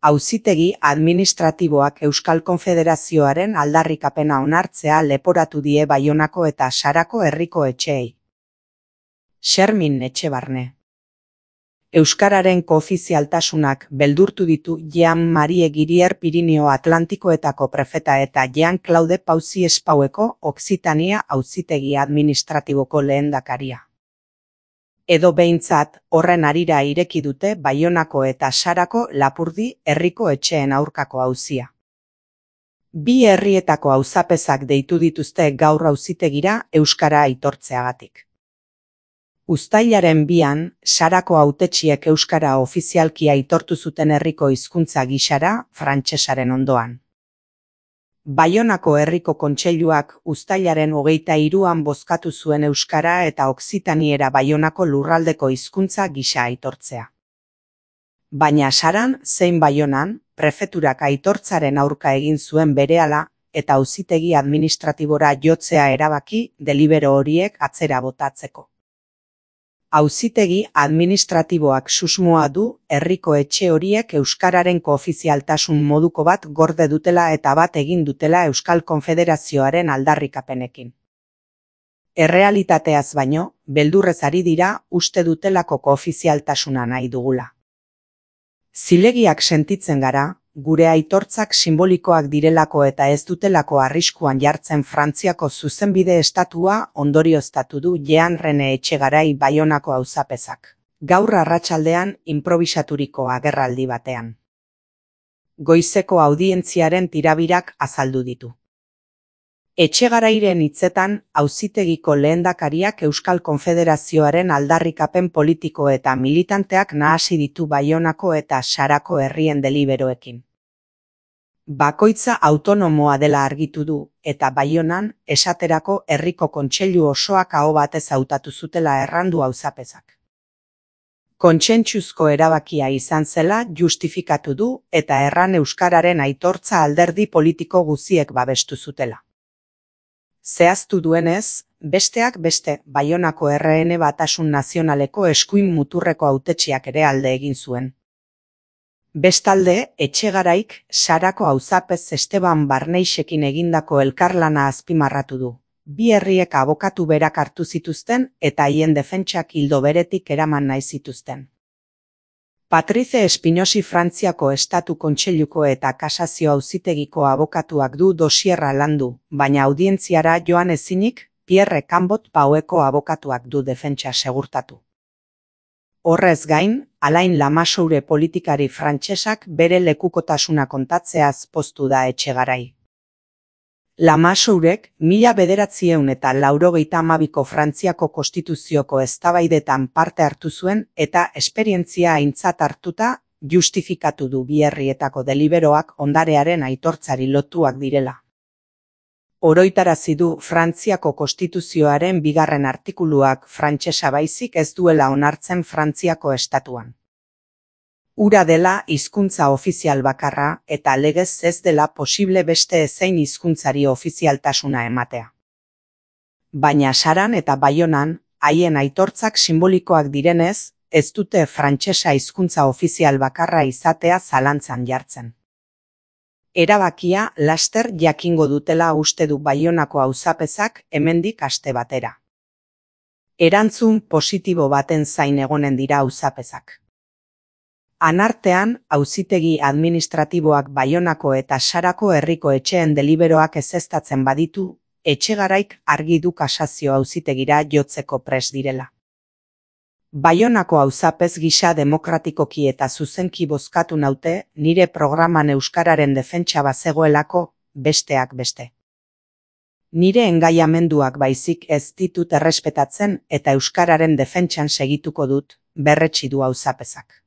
Auzitegi administratiboak Euskal Konfederazioaren aldarrikapena onartzea leporatu die Baionako eta Sarako herriko etxeei. Xermin Etxebarne. Euskararen koofizialtasunak beldurtu ditu Jean-Marie Girier Pirinio Atlantikoetako prefeta eta Jean-Claude Pauzi Espaueko Okzitania auzitegi administratiboko lehendakaria. Edo behintzat, horren harira ireki dute Baionako eta Sarako Lapurdi herriko etxeen aurkako auzia. Bi herrietako auzapezak deitu dituzte gaur auzitegira euskara aitortzeagatik. Uztailaren 2an, Sarako hautetsiek euskara ofizialki aitortu zuten herriko hizkuntza gisara, frantsesaren ondoan. Baionako herriko kontseiluak uztailaren 23an bozkatu zuen euskara eta okzitaniera Baionako lurraldeko hizkuntza gisa aitortzea. Baina Saran zein Baionan, prefeturak aitortzaren aurka egin zuen berehala eta auzitegi administratibora jotzea erabaki delibero horiek atzera botatzeko. Auzitegi administratiboak susmoa du herriko etxe horiek euskararen koofizialtasun moduko bat gorde dutela eta bat egin dutela Euskal Konfederazioaren aldarrikapenekin. Errealitateaz baino, beldurrez ari dira uste dutelako koofizialtasuna nahi dugula. Zilegiak sentitzen gara, gure aitortzak simbolikoak direlako eta ez dutelako arriskuan jartzen Frantziako zuzenbide estatua ondorioztatu du Jean Rene Etxegarai Baionako auzapezak. Gaur arratsaldean inprobisaturiko agerraldi batean. Goizeko audientziaren tirabirak azaldu ditu. Etxegarairen hitzetan, auzitegiko lehendakariak Euskal Konfederazioaren aldarrikapen politiko eta militanteak nahasi ditu Baionako eta Sarako herrien deliberoekin. Bakoitza autonomoa dela argitu du, eta Baionan, esaterako herriko kontseilu osoak aho batez hautatu zutela errandu auzapezak. Kontsentsuzko erabakia izan zela justifikatu du eta erran euskararen aitortza alderdi politiko guziek babestu zutela. Zehaztu duenez, besteak beste, Baionako RN Batasun Nazionaleko eskuin muturreko hautetsiak ere alde egin zuen. Bestalde, Etxegaraik Sarako auzapez Esteban Barneixekin egindako elkarlana azpimarratu du. Bi herriek abokatu berak hartu zituzten eta haien defentsak ildo beretik eraman nahi zituzten. Patrice Espinosi Frantziako Estatu Kontseiluko eta Kasazio Auzitegiko abokatuak du dosierra landu, baina audientziara joan ezinik, Pierre Cambot Paueko abokatuak du defentsa segurtatu. Horrez gain, Alain Lamassoure politikari frantsesak bere lekukotasuna kontatzeaz poztu da Etxegarai. Lamassourek 1992ko Frantziako Konstituzioko eztabaidetan parte hartu zuen eta esperientzia aintzat hartuta justifikatu du bi herrietako deliberoak ondarearen aitortzari lotuak direla. Oroitarazi du Frantziako Konstituzioaren 2. artikuluak frantsesa baizik ez duela onartzen Frantziako estatuan. Hura dela hizkuntza ofizial bakarra eta legez ez dela posible beste ezein hizkuntzari ofizialtasuna ematea. Baina Saran eta Baionan, haien aitortzak simbolikoak direnez, ez dute frantsesa hizkuntza ofizial bakarra izatea zalantzan jartzen. Erabakia laster jakingo dutela uste du Baionako auzapezak hemendik aste batera. Erantzun positibo baten zain egonen dira auzapezak. Anartean, auzitegi administratiboak Baionako eta Sarako herriko etxeen deliberoak ezeztatzen baditu, Etxegaraik argi du kasazio auzitegira jotzeko prest direla. Baionako auzapez gisa demokratikoki eta zuzenki bozkatu naute nire programan euskararen defentsa bazegoelako, besteak beste. Nire engaiamenduak baizik ez ditut errespetatzen eta euskararen defentsan segituko dut, berretsi du auzapezak.